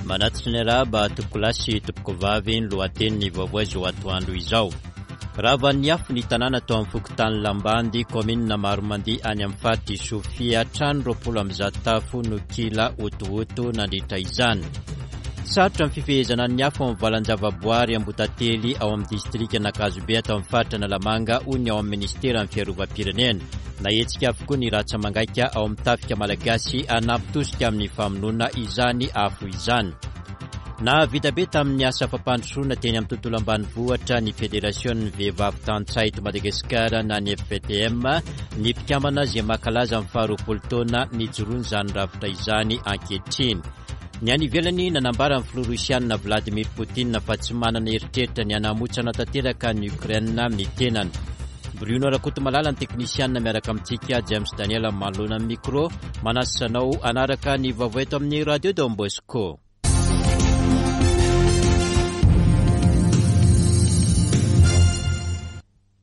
Manatitra ny arahaba tompokolahy sy tompokovavy ny lohatenin'ny vaovao izao atoandro izao. Ravan'ny afo ny tanàna tao amin'ny fokontany Lambandy, kaominina Maromandia any amin'ny faritr'i Sofia. Trano 120 tafo no kila hotohoto nandritra izany. Sarotra ny fifehezana ny afo amin'ny valan-javaboary Ambotately ao amin'ny distrikan'Ankazobe ato amin'ny faritra Analamanga hoy ny ao amin'ny minisiteran'ny fiarovam-pirenena. Nahetsika avokoa ny ratsa-mangaika ao amin'ny tafika malagasy hanampy tosika amin'ny famonoana izany afo izany. Nahavita be tamin'ny asa fampandrosoana teny amin'ny tontolo ambanivohitra ny Federasion'ny vehivavy tantsaha eto Madagasikara na ny FVTM, ny mpikambana izay mankalaza ny faharoapolo taona nijoroan'izany rafitra izany ankehitriny. Ny any ivelany, nanambara ny filoha Rosiana Vladimir Poutine fa tsy manana eritreritra ny hanamotsana tanteraka an'i Ukraine ny tenany. Bruno Rakotomalala ny teknisianina miaraka amintsika, James Daniel manoloana ny micro, manasa anao hanaraka ny vaovao eto amin'ny Radio Don Bosco.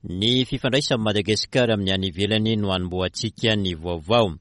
Ny fifandraisan'i Madagasikara amin'ny any ivelany no hanombohantsika ny vaovao.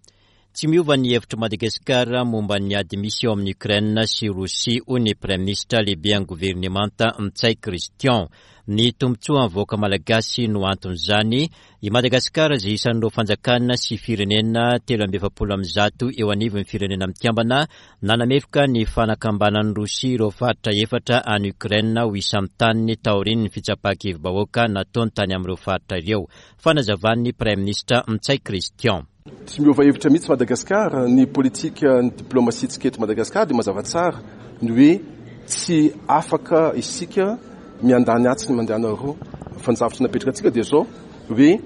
Tsy miova ny hevitr'i Madagasikara momba ny ady misy eo amin'i Ukraine sy Rosia, hoy ny Praiminisitra lehiben'ny governemanta Ntsay Christian. Ny tombontsoan'ny vahoaka malagasy no anton'izany. I Madagasikara izay isan'ireo fanjakana sy firenena 143 eo anivon'ny Firenena Mikambana nanameloka ny fanakambanan'i Rosia ireo faritra efatra any Ukraine ho isan'ny taniny taorian'ny fitsapan-kevi-bahoaka nataony tany amin'ireo faritra ireo. Fanazavan'ny Praiminisitra Ntsay Christian. Tsy miova hevitra mihitsy Madagasikara, ny politikan'ny diplaomasiantsika eto Madagasikara dia mazava tsara ny hoe tsy afaka isika miandany atsy ny mandany aroa fa ny zavatra napetraka antsika dia izao hoe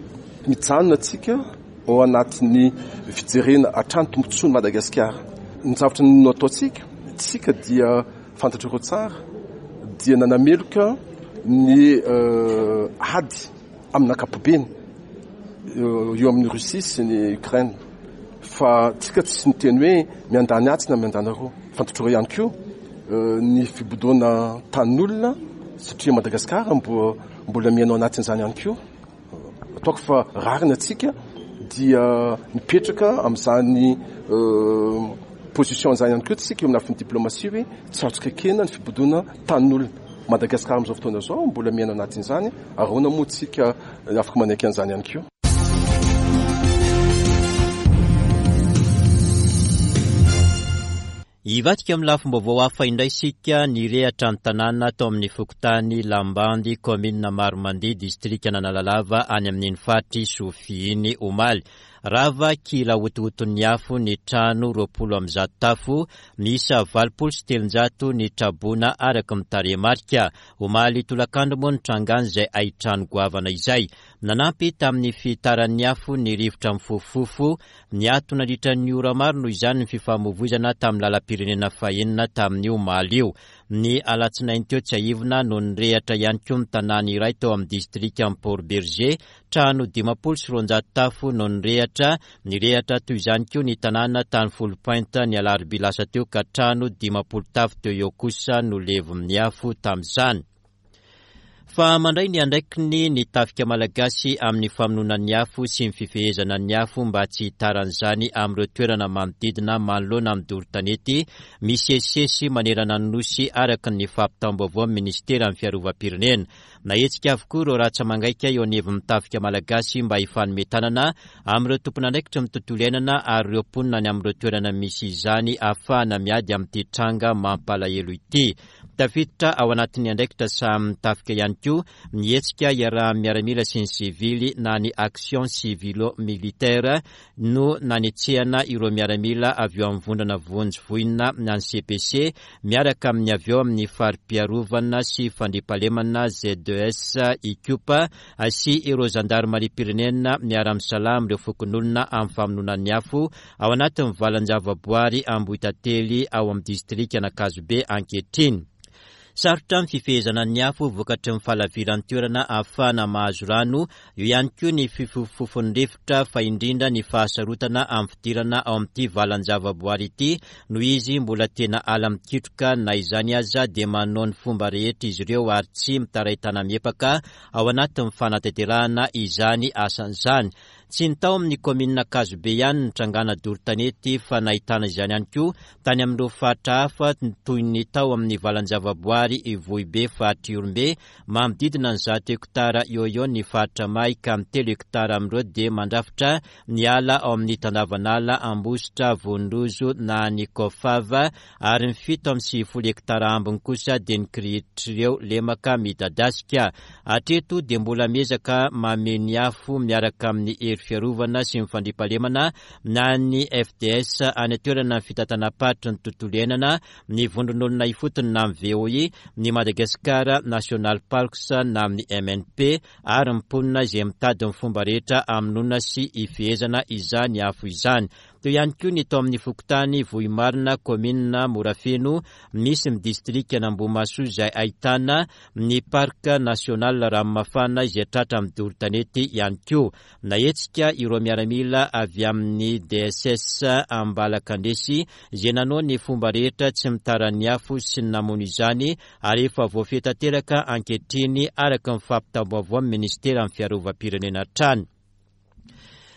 mijanona antsika ao anatin'ny fijerena hatrany tombontsoan'i Madagasikara. Ny zavatra no ataontsika, tsika dia fantatrareo tsara dia nanameloka ny ady amin'ny ankapobeny eo amin'ny Russie sy ny Ukraine fa tsika tsy niteny hoe miandany atsy na miandany aroa. Fantatrareo ihany koa ny fibodoana tanin'olona satria Madagasikara mbola miaina ao anatin'izany ihany koa. Ataoko fa rariny antsika dia mipetraka amin'izany position izany ihany koa tsika eo amin'ny lafiny diplomatie hoe tsy azontsika ekena ny fibodoana tanin'olona. Madagasikara amin'izao fotoana izao mbola miaina anatin'izany ary ahoana moa tsika afaka manaiky an'izany ihany koa. Hivadika amin'ny lafim-baovao hafa indray isika, nirehatra ny tanàna tao amin'ny fokontany Lambandy, kaominina Maromandia, distrikan'Analalava, any amin'iny faritr'i Sofia iny, omaly. Rava kila hotohoton'ny afo ny trano 120 tafo, miisa 380 ny traboina araka ny tarehimarika. Omaly tolakandro moa nitrangan'izay haintrano goavana izay. Nanampy tamin'ny fihitaran'ny afo ny rivotra mifofofofo, Niato nandritra ny ora maro noho izany ny fifamoivoizana tamin'ny lalam-pirenena fahenina tamin'io omaly io. Ny alatsinainy teo tsiahivina no nirehatra ihany koa ny tanàna iray tao amin'ny distrikan'i Port Bergé. Trano 250 tafo no nirehatra. Nirehatra toy izany koa ny tanàna tany Foulpointe ny alarobia lasa teo ka trano 50 tafo teo eo kosa no levon'ny afo tamin'izany. Fa mandray ny andraikiny ny tafika malagasy amin'ny famonoana ny afo sy ny fifehezana ny afo mba tsy hitaran'izany amin'ireo toerana manodidina manoloana ny doro tanety misesisesy manerana ny Nosy araka ny fampitam-baovaon'ny minisiteran'ny fiarovam-pirenena. Nahetsika avokoa ireo ratsa-mangaika eo anivon'ny tafika malagasy mba hifanome tanana amin'ireo tompon'andraikitry ny tontolo iainana ary ireo mponina any amin'ireo toerana misy izany ahafahana miady amin'ity tranga mampalahelo ity. Tafiditra ao anatin'ny andraikitra sahanin'ny tafika ihany koa ny hetsika iarahan'ny miaramila sy ny sivily na ny action civilo-militaire no nanetsehana ireo miaramila avy eo amin'ny vondrona vonjy voina na ny CPC miaraka amin'ny avy eo amin'ny fari-piarovana sy fandriampahalemana ZES Ikopa sy ireo zandarimariam-pirenena miara-misalahy amin'ireo fokonolona amin'ny famonoana ny afo ao anatin'ny valan-javaboary Ambohitantely ao amin'ny distrikan'Ankazobe ankehitriny. Sarotra ny fifehezana ny afo vokatry ny fahalaviran'ny toerana ahafahana mahazo rano, eo ihany koa ny fifofofon'ny rivotra fa indrindra ny fahasarotana amin'ny fidirana ao amin'ity valan-javaboary ity noho izy mbola tena ala mikitroka na izany aza dia manao ny fomba rehetra izy ireo ary tsy mitaray tana-miepaka ao anatin'ny fanatanterahana izany asany izany. Tsy ny tao amin'ny kaominina Ankazobe ihany ny trangana doro tanety fa nahitana izany ihany koa tany amin'ireo faritra hafa toy ny tao amin'ny valan-javaboary Ivohibe faritra Ihorombe, manodidina ny 100 hektara eo eo ny faritra may ka ny 3 hektara amin'ireo dia mandrafitra ny ala ao amin'ny tandavanala Ambositra Vonindrozo na ny Kofava ary ny 97 hektara ambiny kosa dia ny kirihitr'ireo lemaka midadasika. Hatreto dia mbola miezaka mamehy ny afo miaraka amin'ny hery fiarovana sy ny fandriampahalemana na ny FDS any an-toerana ny fitantanam-paritry ny tontolo iainana, ny vondron'olona ifotony na ny VOI, ny Madagascar National Parks na ny MNP ary ny mponina izay mitady ny fomba rehetra hamonoana sy hifehezana izany afo izany. Teo ihany koa ny tao amin'ny fokontany Vohimarina, kaominina Morafeno, misy ny distrikan'Ambohimahasoa izay ahitana ny Parc National Ranomafana izay tratra amin'ny doro tanety ihany koa. Nahetsika ireo miaramila avy amin'ny DSS Ambalakandresy izay nanao ny fomba rehetra tsy nitaran'ny afo sy ny namono izany ary efa voafehy tanteraka ankehitriny araka ny fampitam-baovaon'ny Minisiteran'ny Fiarovam-pirenena hatrany.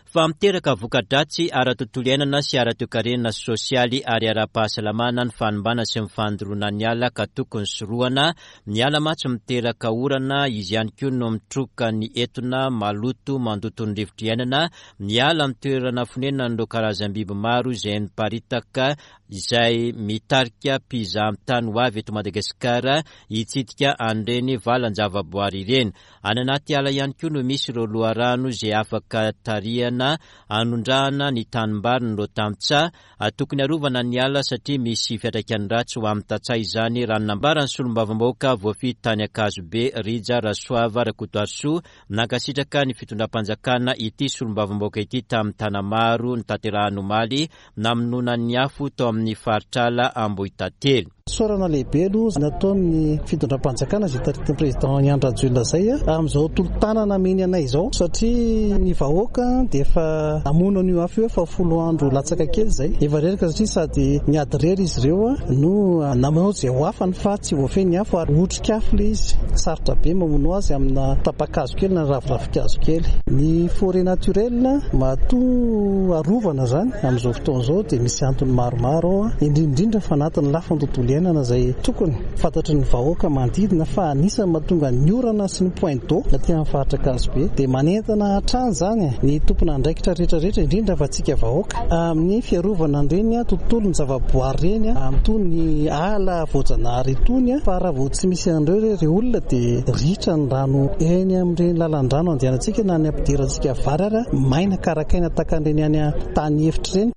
Fa miteraka voka-dratsy ara-tontolo iainana sy ara-toekarena sy sosialy ary ara-pahasalamana ny fanimbana sy ny fandoroana ny ala ka tokony sorohana. Ny ala mantsy miteraka orana, izy ihany koa no mitroka ny etona maloto mandoto ny rivotra iainana. Ny ala no toerana fonenan'ireo karazam-biby maro izay miparitaka izay mitarika mpizahan-tany ho avy eto Madagasikara hitsidika an'ireny valan-javaboary ireny. Any anaty ala ihany koa no misy ireo loharano izay afaka tarihana hanondrahana ny tanimbarin'ireo tantsaha. Tokony harovana ny ala satria misy fiantraikany ratsy ho amin'ny tantsaha izany raha ny nambaran'ny solombavambahoaka voafidy tany Ankazobe, Rija Rasoava Rakotoarisoa. Nankasitraka ny fitondram-panjakana ity solombavambahoaka ity tamin'ny Tanamaro notanterahiny omaly namonoana ny afo tao amin'ny faritr'ala Ambohitantely. Fisaorana lehibe aloha nataon'ny fitondram-panjakana izay taritin'ny Président Andry Rajoelina izay amin'izao tolo-tanana ameny anay izao satria ny vahoaka dia efa namono an'io afo io efa folo andro latsaka kely izay. Efa reraka satria sady niady irery izy ireo no namono izay ho afany fa tsy voafehy ny afo ary otrik'afo ilay izy. Sarotra be mamono azy amina tapa-kazo kely na raviravin-kazo kely. Ny forêt naturelle matoa arovana izany amin'izao fotoana izao dia misy antony maromaro ao, indrindra indrindra fa anatin'ny lafiny tontolo iainana izay tokony fantatry ny vahoaka manodidina fa anisan'ny mahatonga ny orana sy ny point d'eau aty amin'ny faritra Ankazobe. Dia manentana hatrany izany ny tompon'andraikitra rehetra rehetra indrindra fa antsika vahoaka amin'ny fiarovana an'ireny tontolon'ny zavaboary ireny amin'itony ala voajanahary itony fa raha vao tsy misy an'ireo re olona dia ritra ny rano eny amin'ireny lalan-drano andehanantsika na ny ampidirantsika vary ara maina karakaina tahaka an'ireny any tany efitra ireny.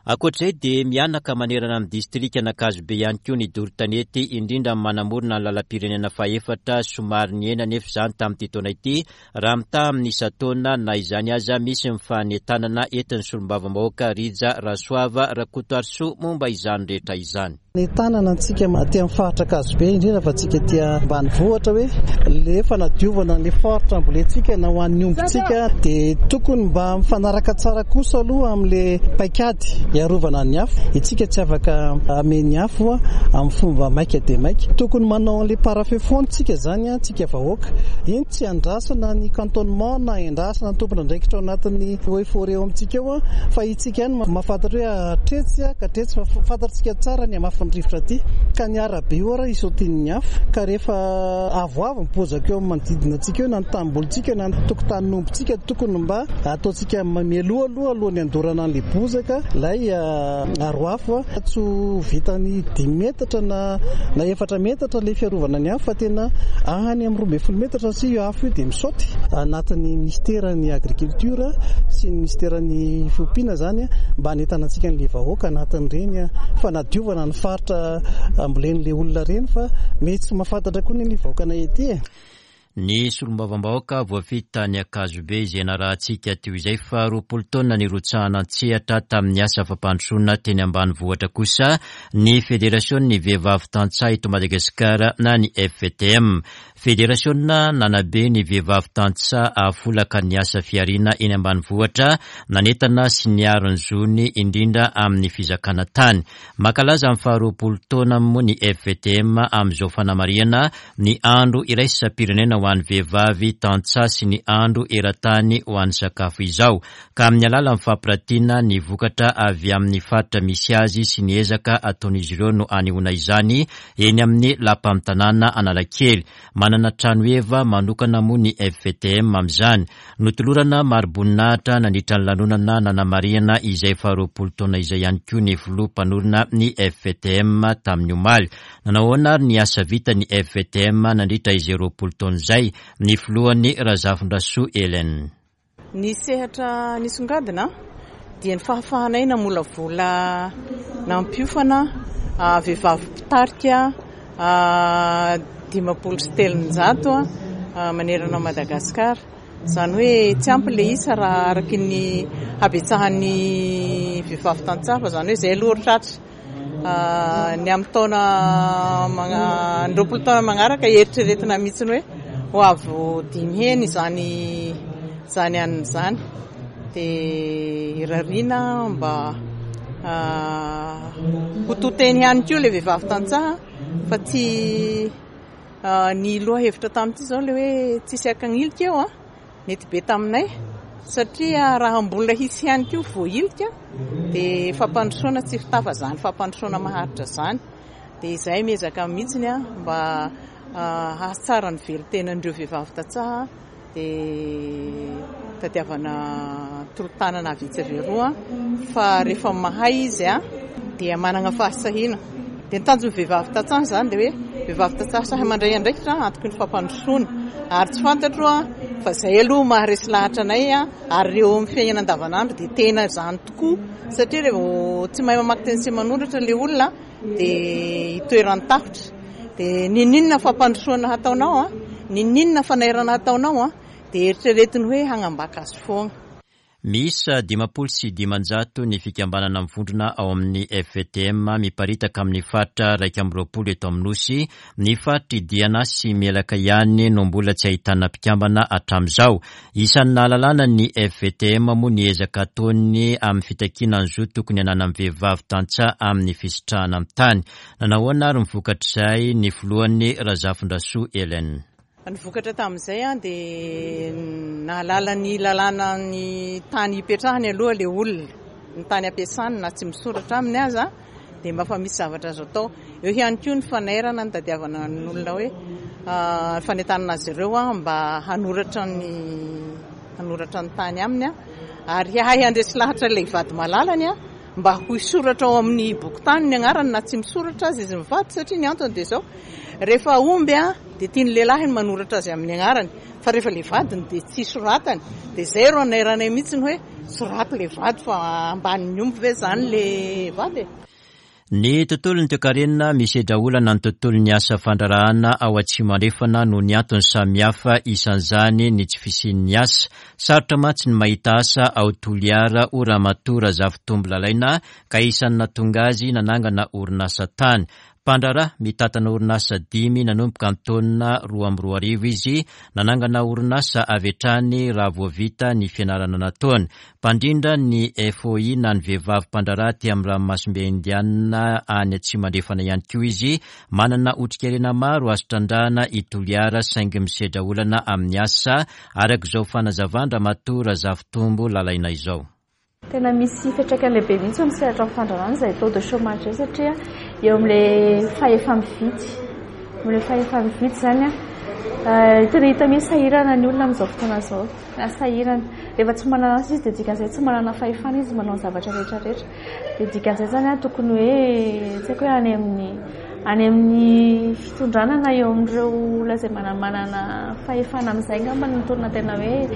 Ankoatra izay dia mihanaka manerana ny distrikan'Ankazobe ihany koa ny doro tanety, indrindra ny manamorona ny lalam-pirenena fahefatra, somary nihena anefa izany tamin'ity taona ity raha mitaha amin'ny isan-taona, na izany aza misy ny fanentanana entin'ny solombavambahoaka Rija Rasoava Rakotoarisoa momba izany rehetra izany. Nentanana antsika aty amin'ny faritra Ankazobe, indrindra fa antsika aty ambanivohitra hoe le fanadiovana ny faritra ambolentsika na ho an'ny ombintsika dia tokony mba mifanaraka tsara kosa aloha amin'le paikady hiarovana ny afo. Itsika tsy afaka hamehy ny afo amin'ny fomba maika dia maika. Tokony manao an'le parafeu foana tsika zany tsika vahoaka. Iny tsy andrasana ny cantonnement na endrasana ny tompon'andraikitra ao anatin'ny eaux et forêts ao amintsika ao fa itsika ihany mahafantatra hoe hatretsy ka hatretsy fa fantatsika tsara ny hamafin'ny rivotra aty ka ny arabe io ara isotian'ny afo ka rehefa avoavo ny bozaka eo amin'ny manodidina antsika eo na ny tanimbolintsika na ny tokotanin'ombintsika tokony mba ataontsika mialoha aloha alohan'ny handorana an'ilay bozaka ilay aro afo tsy ho vitan'ny dimy metatra na na efatra metatra ilay fiarovana ny afo fa tena any amin'ny 12 metatra satria io afo io dia misaoty. Anatin'ny minisiteran'ny agriculture sy ny minisiteran'ny fiompiana izany mba hanentana antsika an'ilay vahoaka anatin'ireny fanadiovana ny faritra ambolen'ilay olona ireny fa mety tsy mahafantatra koa ny vahoakanay ety e. Ny solombavambahoaka voafidy tany Ankazobe izay narahantsika teo izay fa 20 taona nirotsahana an-tsehatra tamin'ny asa fampandrosoana teny ambanivohitra kosa ny Federasion'ny vehivavy tantsaha eto Madagasikara na ny FVTM. Federasiona nanabe ny vehivavy tantsaha hahafolaka ny asa fihariana eny ambanivohitra, nanentana sy niaro ny zony indrindra amin'ny fizakana tany. Mankalaza ny faharoapolo taonany moa ny FVTM amin'izao fanamarihana ny andro iraisam-pirenena ho. ho an'ny vehivavy tantsaha sy ny andro eran-tany ho an'ny sakafo izao, ka amin'ny alalan'ny fampiratiana ny vokatra avy amin'ny faritra misy azy sy ny ezaka ataon'izy ireo no anehoana izany eny amin'ny lapan'ny tanàna Analakely. Manana trano heva manokana moa ny FVTM amin'izany. Notolorana mari-boninahitra nandritra ny lanonana nanamarihana izay faharoapolo taona izay ihany koa ny filoha mpanorina ny FVTM tamin'ny omaly. Nanao ahoana ary ny asa vitan'ny FVTM nandritra izay 20 taona izay? Ny filohany Razafindrasoa Hélène. Ny sehatra nisongadina dia ny fahafahanay namolavola nampiofana vehivavy mpitarika 350 manerana an'i Madagasikara. Izany hoe tsy ampy ilay isa raha araky ny habetsahan'ny vehivavy tantsaha fa izany hoe izay aloha ry tratra. Ny amin'ny taona ny 20 taona manaraka eritreretina mihitsy hoe ho avo dimy heny izany izany anona izany. Dia irariana mba ho to teny ihany koa ilay vehivavy tantsaha fa tsy ny lohahevitra tamin'ity izao ilay hoe tsisy akanilika eo an. Nety be taminay satria raha mbola hisy ihany koa voahilika dia fampandrosoana tsy fitafa izany fampandrosoana maharitra izany. Dia izahay miezaka mihitsy mba hahatsara ny velon-tenan'ireo vehivavy tantsaha dia tadiavana tolo-tanana avy etsy avy eroa fa rehefa mahay izy dia manana fahasahiana. Dia ny tanjon'ny vehivavy tantsaha izany dia hoe vehivavy tantsaha sahy mandray andraikitra antoky ny fampandrosoana. Ary tsy fantatro fa izay aloha maharesy lahatra anay ary eo amin'ny fiainana andavanandro dia tena izany tokoa satria rehefa tsy mahay mamaky teny sy manoratra ilay olona dia itoeran'ny tahotra. Dia n'inon'inona fampandrosoana hataonao, n'inon'inona fanairana hataonao dia eritreretiny hoe hagnambaka azy foagna. Miisa 550 ny fikambanana mivondrona ao amin'ny FVTM miparitaka amin'ny faritra 21 eto amin'ny Nosy. Ny faritr'i Diana sy Melaka ihany no mbola tsy ahitana mpikambana hatramin'izao. Isan'ny nahalalana ny FVTM moa ny ezaka ataony amin'ny fitakiana ny zo tokony hananan'ny vehivavy tantsaha amin'ny fisitrahana ny tany. Nanahoana ary ny vokatr'izay ny filohany Razafindrasoa Hélène. Ny vokatra tamin'izay dia nahalala ny lalàna ny tany hipetrahany aloha ilay olona, ny tany ampiasany na tsy misoratra aminy aza dia mba efa misy zavatra azo atao. Eo ihany koa ny fanairana nitadiavana ny olona hoe fanentanana azy ireo mba hanoratra ny hanoratra ny tany aminy ary hahay handresy lahatra ilay vady malalany mba ho hisoratra ao amin'ny bokin-tany ny anarany na tsy misoratra aza izy mivady satria ny antony dia izao, rehefa omby dia tian'ny lehilahy ny manoratra azy amin'ny anarany fa rehefa ilay vadiny dia tsy soratany dia izay ro anairanay mihitsy ny hoe soraty ilay vady fa ambanin'ny omby ve izany ilay vady e? Ny tontolon'ny toekarena misedra olana ny tontolon'ny asa fandraharahana ao Atsimo Andrefana noho ny antony samihafa, isan'izany ny tsy fisian'ny asa. Sarotra mantsy ny mahita asa ao Toliara, hoy Ramatoa Razafitombo Lalaina, ka isan'ny nahatonga azy nanangana orinasa tany. Mpandraharaha mitantana orinasa dimy nanomboka ny taona 2002 izy, nanangana orinasa avy hatrany raha vao vita ny fianarana nataony. Mpandrindra ny FOI na ny vehivavy mpandraharaha aty amin'ny ranomasimbe Indiana any Atsimo Andrefana ihany koa izy. Manana otrikarena maro azo trandrahana i Toliara saingy misedra olana amin'ny asa, araka izao fanazavan-dRamatoa Razafitombo Lalaina izao. Tena misy fiantraikany lehibe mihitsy eo amin'ny sehatra ny fandraharahana izay taux de chômage izay satria eo amin'ilay fahefa-mividy, eo amin'ilay fahefa-mividy izany tena hita mihitsy sahirana ny olona amin'izao fotoana izao. Na sahirana. Rehefa tsy manana asa izy dia dikan'izay tsy manana fahefana izy manao ny zavatra rehetra rehetra. Dia dikan'izay izany an, tokony hoe tsy haiko hoe any amin'ny any amin'ny fitondrana na eo amin'ireo olona izay manamanana fahefana amin'izay angamba no tokony tena hoe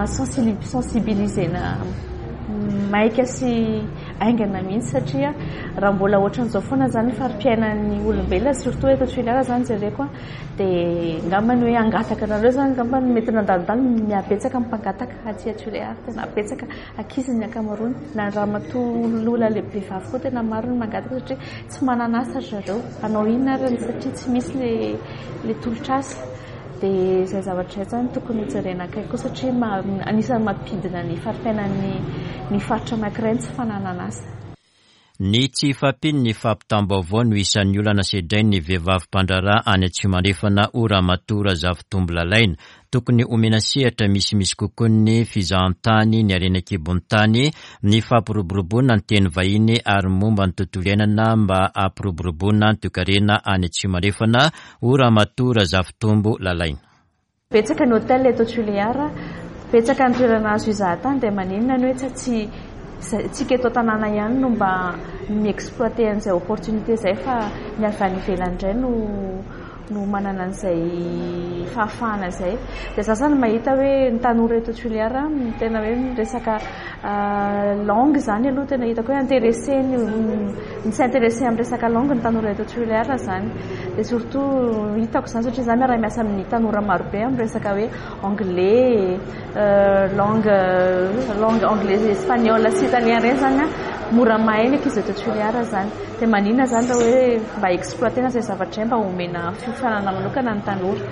sensibiliser-na maika sy haingana mihitsy satria raha mbola ohatran'izao foana izany ny fari-piainan'ny olombelona surtout eto Toliara izany jereko an, Dia angamba ny hoe hangataka anareo izany angamba no mety nandalondalo, mihabetsaka ny mpangataka aty Tuléar, tena betsaka, ankizy ny ankamaroany, na ramatoa olona lehibe vehivavy koa tena maro ny mangataka satria tsy manana asa ry zareo, hanao inona ary satria tsy misy ilay ilay tolotr'asa. Dia izay zavatra izay izany tokony hojerena akaiky koa satria anisan'ny mampidina ny fari-piainan'ny ny faritra anankiray ny tsy fananana asa. Ny tsy fahampian'ny fampitam-baovao no isan'ny olana sedrain'ny vehivavy mpandraharaha any Atsimo Andrefana hoy Ramatoa Razafitombo Lalaina. Tokony homena sehatra misimisy kokoa ny fizahantany, ny harena an-kibon'ny tany, ny fampiroboroboana ny teny vahiny ary ny momba ny tontolo iainana mba hampiroboroboana ny toekarena any Atsimo Andrefana hoy Ramatoa Razafitombo Lalaina. Betsaka ny hotel eto Tulear, betsaka ny toerana azo hizahan-tany dia maninona ny hoe tsy tsy tsika eto an-tanàna ihany no mba mi-exploiter an'izay opportunité izay fa ny avy any ivelany indray no no manana an'izay fahafahana izay. Dia za zany mahita hoe ny tanora eto Tulear tena hoe miresaka langue izany aloha tena hitako hoe intéressé ny mi-s'intéresser amin'ny resaka langue ny tanora eto Tulear izany. Dia surtout hitako izany satria za miara-miasa amin'ny tanora marobe amin'ny resaka hoe anglais, langue langue anglais, espagnol sy italien ireny izany an, mora mahay ny ankizy eto Tulear izany. Dia maninona izany raha hoe mba exploiter-na izay zavatra izay mba omena fiofanana manokana ny tanora.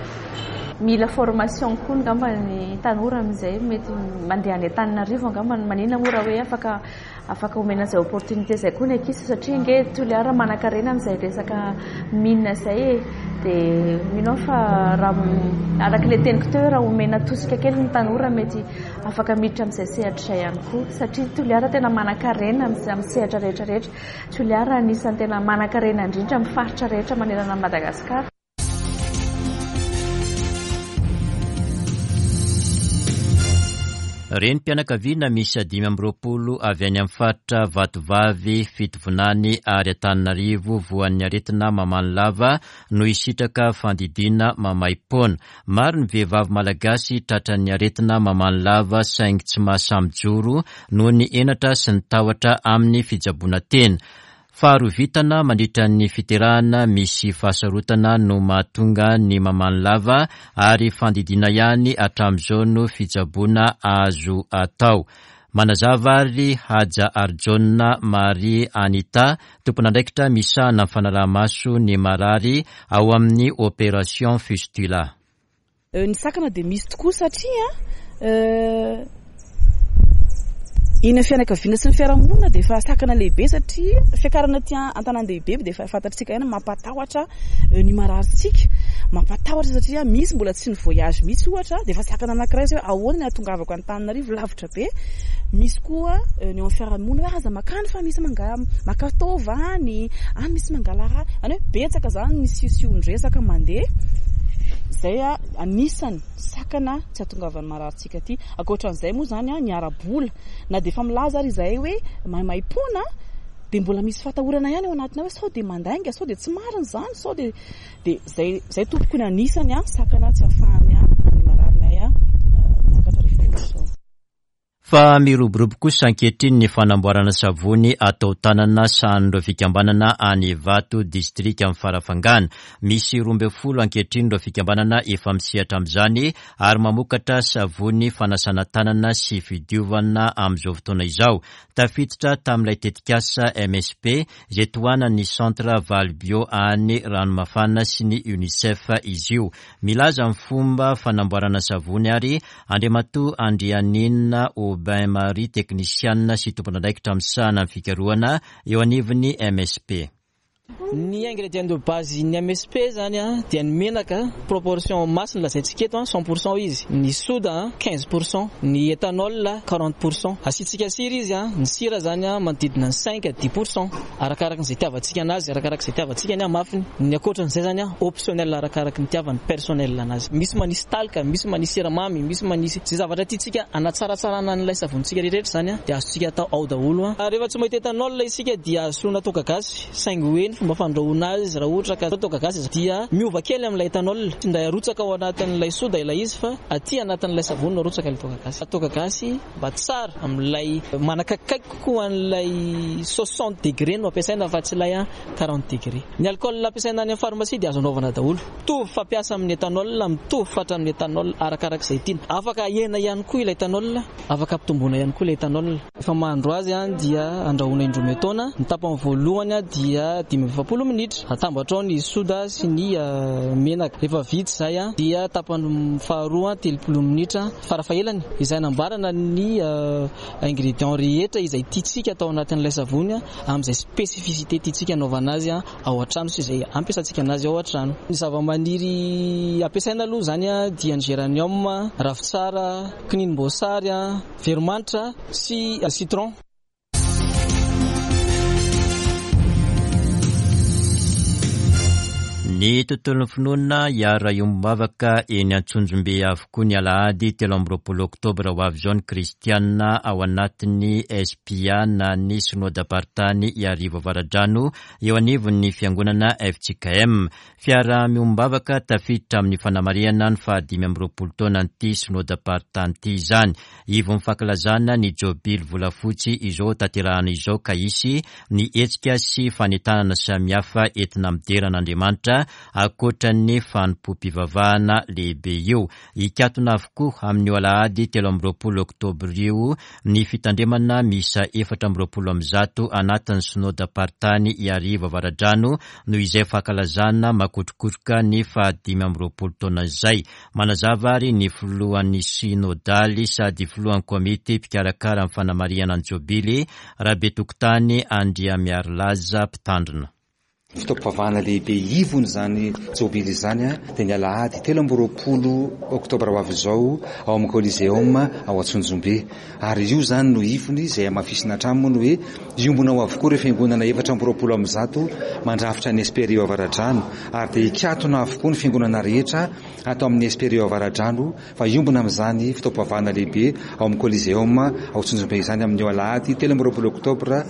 Mila formation koa angamba ny tanora amin'izay mety mandeha any Antananarivo angamba, maninona moa raha hoe afaka afaka omena izay opportunité izay koa ny ankizy satria ange Toliara manankarena amin'izay resaka mine izay e, dia mino aho fa raha araka ilay teniko teo hoe raha omena tosika kely ny tanora mety afaka miditra amin'izay sehatra izay ihany koa satria Toliara tena manankarena amin'ny sehatra rehetra rehetra, Toliara anisan'ny tena manankarena indrindra amin'ny faritra rehetra manerana an'i Madagasikara. Renim-pianakaviana miisa 25 avy any amin'ny faritra Vatovavy, Fitovinany ary Antananarivo voan'ny aretina mamany lava no hisitraka fandidiana maimaim-poana. Maro ny vehivavy malagasy tratran'ny aretina mamany lava saingy tsy mahasahy mijoro noho ny henatra sy ny tahotra amin'ny fitsaboana tena. Faharovitana mandritra ny fiterahana misy fahasarotana no mahatonga ny mamany lava ary fandidiana ihany hatramin'izao no fitsaboana azo atao. Manazava ary Haja Harijaona Marie Anita, tompon'andraikitra misahana ny fanaraha-maso ny marary ao amin'ny Opération Fistula. Ny sakana dia misy tokoa satria eny amin'ny fianakaviana sy ny fiarahamonina dia efa sakana lehibe satria fiakarana aty an-tanàn-dehibe dia efa fantatsika ihany mampatahotra ny mararintsika, mampatahotra satria misy mbola tsy ni-voyage mihitsy ohatra dia efa sakana anankiray izay hoe ahoana ny hahatongavako Antananarivo lavitra be, misy koa ny eo amin'ny fiarahamonina hoe aza makany fa misy maka taova any, any misy mangala rà, izany hoe betsaka izany ny siosion-dresaka mandeha izay anisany sakana tsy hahatongavan'ny mararintsika aty. Ankoatran'izay moa izany ny ara-bola, na dia efa milaza ary izahay hoe maimaimpoana dia mbola misy fahatahorana ihany ao anatinao hoe sao dia mandainga, sao dia tsy marina izany, sao dia Dia izay izay tompoko ny anisany sakana tsy ahafahany ny mararinay miakatra rehefa ohatr'izao. Fa miroborobo kosa ankehitriny ny fanamboarana savony atao tanana sahanin'ireo fikambanana any Ivato, distrikan'i Farafangana. Misy 12 ankehitriny ireo fikambanana efa misehatra amin'izany ary mamokatra savony fanasana tanana sy fidiovana amin'izao fotoana izao. Tafiditra tamin'ilay tetikasa MSP izay tohanan'ny Centre Valbio any Ranomafana sy ny Unicef izy io. Milaza ny fomba fanamboarana savony ary Andriamatoa Andrianina Aubin Marie, teknisianina sy tompon'andraikitra misahana ny fikarohana eo anivon'ny MSP. Ny ingrédients de base ny MSP zany dia ny menaka proportion masse no lazaintsika eto 100 pourcent izy, ny soda 15 pourcent, ny éthanol 40 pourcent. Asiantsika sira izy, ny sira zany manodidina ny 5 à 10 pourcent arakaraka izay itiavantsika anazy, arakaraka izay itiavantsika ny hamafiny. Ny ankoatran'izay zany optionnel arakaraka ny itiavan'ny personnel anazy. Misy manisy talc, misy manisy siramamy, misy manisy izay zavatra tiantsika hanatsaratsarana an'ilay savonitsika rehetra zany dia azontsika atao ao daholo. Rehefa tsy mahita éthanol isika dia azo soloina toaka gasy. Saingy hoe ny fomba fandrahoana azy raha ohatra ka toaka gasy dia miova kely amin'ilay éthanol. Tsy indray arotsaka ao anatin'ilay soda ilay izy fa aty anatin'ilay savony no arotsaka ilay toaka gasy. Toaka gasy mba tsara amin'ilay manakaikaiky kokoa an'ilay soixante degré no ampiasaina fa tsy ilay quarante degré. Ny alcool ampiasaina any amin'ny pharmacie dia azo anaovana daholo. Mitovy fampiasa amin'ny éthanol, mitovy fatra amin'ny éthanol arakarak'izay tiana. Afaka ahena ihany koa ilay éthanol, afaka ampitomboina ihany koa ilay éthanol. Rehefa mahandro azy dia andrahoina indroa metaona, ny tapany voalohany dia 25. 45 minitra. Atambatra ao ny soda sy ny menaka. Rehefa vita izay dia tapany faharoa 30 minitra farafahelany izay anamboarana ny ingrédients rehetra izay tiantsika atao anatin'ilay savony amin'izay spécificité tiantsika anaovana azy ao an-trano sy izay ampiasantsika anazy ao an-trano. Ny zavamaniry ampiasaina aloha izany dia ny géranium, ravintsara, kininim-boasary, veromanitra sy citron. Ny tontolon'ny finoana hiara-hiombom-bavaka eny Antsonjombe avokoa ny alahady 23 oktobra ho avy izao ny kristianina ao anatin'ny SPA na ny Synodam-paritany Iarivo Avaradrano eo anivon'ny fiangonana fjkm. Fiaraha-miombom-bavaka tafiditra amin'ny fanamarihana ny faha 25 taonan'ity Synodam-paritany ity izany. Ivon'ny fankalazana ny Jobily volafotsy izao tanterahana izao ka hisy ny hetsika sy fanentanana samihafa entina midera an'Andriamanitra ankoatra ny fanompoam-pivavahana lehibe io. Hikatona avokoa amin'io alahady 23 oktobra io ny fitandremana miisa 124 anatin'ny Synodam-paritany Iarivo Avaradrano noho izay fankalazana makotrokotroka ny faha 25 taona izay. Manazava ary ny filohan'ny Synodaly sady filohan'ny komity mpikarakara ny fanamarihana ny Jobily, Rabetokotany Andriamiarilaza Mpitandrina. Fotoam-pivavahana lehibe ivony izany Jobily izany dia ny alahady 23 oktobra ho avy izao ao amin'ny Coliseum ao Antsonjombe. Ary io izany no ivony izay hamafisina hatrany moa ny hoe hiombona ao avokoa ireo fiangonana 124 mandrafitra ny SPRI Avaradrano ary dia hikatona avokoa ny fiangonana rehetra ato amin'ny SPRI Avaradrano fa hiombona amin'izany fotoam-pivavahana lehibe ao amin'ny Coliseum ao Antsonjombe izany amin'io alahady 23 oktobra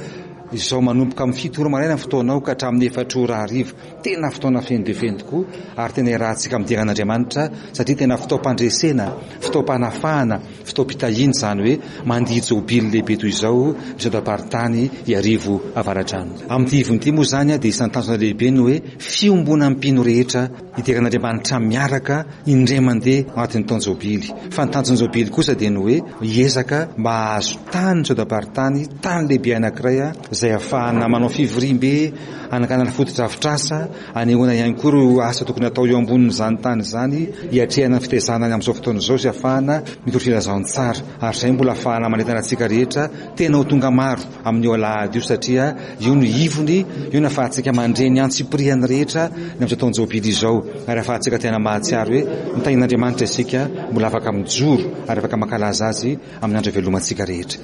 izao manomboka amin'ny 7 ora maraina ny fotoana ao ka hatramin'ny 4 ora hariva. Tena fotoana feno dia feno tokoa ary tena iarahantsika midera an'Andriamanitra satria tena fotoam-pandresena, fotoam-panafahana, fotoam-pitahiana izany hoe mandihy jobily lehibe toy izao ny Synodam-paritany Iarivo Avaradrano. Amin'ity ivony ity moa izany dia isan'ny tanjona lehibe ny hoe fiombonan'ny mpino rehetra hidera an'Andriamanitra miaraka indray mandeha ao anatin'ny taon-jobily. Fa ny tanjon'ny jobily kosa dia ny hoe hiezaka mba hahazo tany ny Synodam-paritany, tany lehibe anankiray izay ahafahana manao fivoriambe, hananganana fotodrafitrasa, hanehoana ihany koa ireo asa tokony hatao eo ambonin'izany tany izany, hiatrehana ny fitaizana ny amin'izao fotoana izao sy hahafahana mitory filazantsara. Ary izay mbola hahafahana manentana antsika rehetra tena ho tonga maro amin'io alahady io satria io no ivony, io no ahafahantsika mandre ny antsipiriany rehetra ny amin'izao taon-jobily izao ary ahafahantsika tena mahatsiaro hoe notahian'Andriamanitra isika, mbola afaka mijoro ary afaka mankalaza Azy amin'ny andro ivelomantsika rehetra.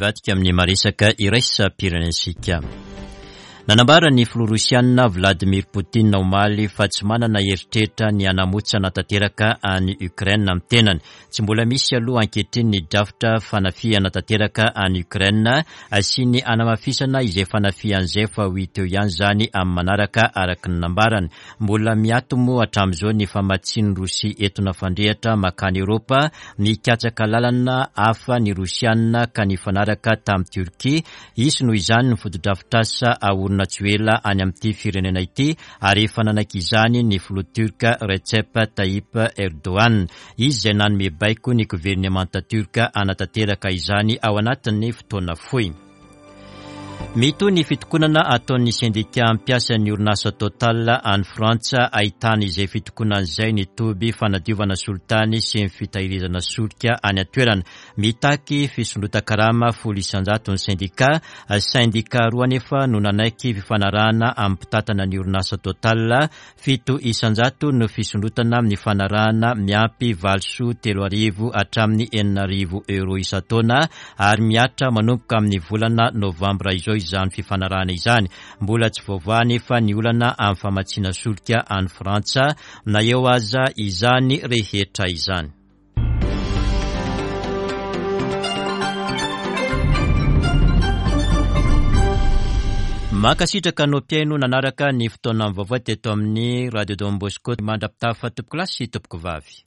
Hivadika amin'ny maresaka iraisam-pirenentsika. Nanambara ny filoha rosianina Vladimir Poutine omaly fa tsy manana eritreritra ny hanamotsana tanteraka an'i Ukraine amin'ny tenany. Tsy mbola misy aloha ankehitriny ny drafitra fanafihana tanteraka an'i Ukraine sy ny hanamafisana izay fanafihana izay fa ho hita eo ihany izany amin'ny manaraka araka ny nambarany. Mbola miato moa hatramin'izao ny famatsian'i Rosia etona fandrehitra mankany Eoropa, nikatsaka lalana hafa ny Rosiana ka nifanaraka tamin'i Turquie. Hisy noho izany ny fotodrafitrasa haorina tsy ho ela any amin'ity firenena ity ary efa nanaiky izany ny filoha Turc Recep Tayyip Erdogan. Izy izay nanome baiko ny governemanta Turc hanatanteraka izany ao anatin'ny fotoana fohy. Mitohy ny fitokonana ataon'ny sendika mpiasan'ny orinasa Total any Frantsa, ahitana izay fitokonana izay ny toby fanadiovana solitany sy ny fitahirizana solika any an-toerana. Mitaky fisondrotan-karama 10% ny sendika. Sendika roa anefa no nanaiky fifanarahana amin'ny mpitantana ny orinasa Total 7% no fisondrotana amin'ny fanarahana miampy valisoa 3000 hatramin'ny 6000 euros isan-taona ary mihatra manomboka amin'ny volana novambra izao izany fifanarahana izany. Mbola tsy voavaha anefa ny olana amin'ny famatsiana solika any Frantsa na eo aza izany rehetra izany. Mankasitraka anao mpihaino nanaraka ny fotoanan'ny vaovao teto amin'ny Radio Don Bosco. Mandra-pitafa tompokolahy sy tompokovavy.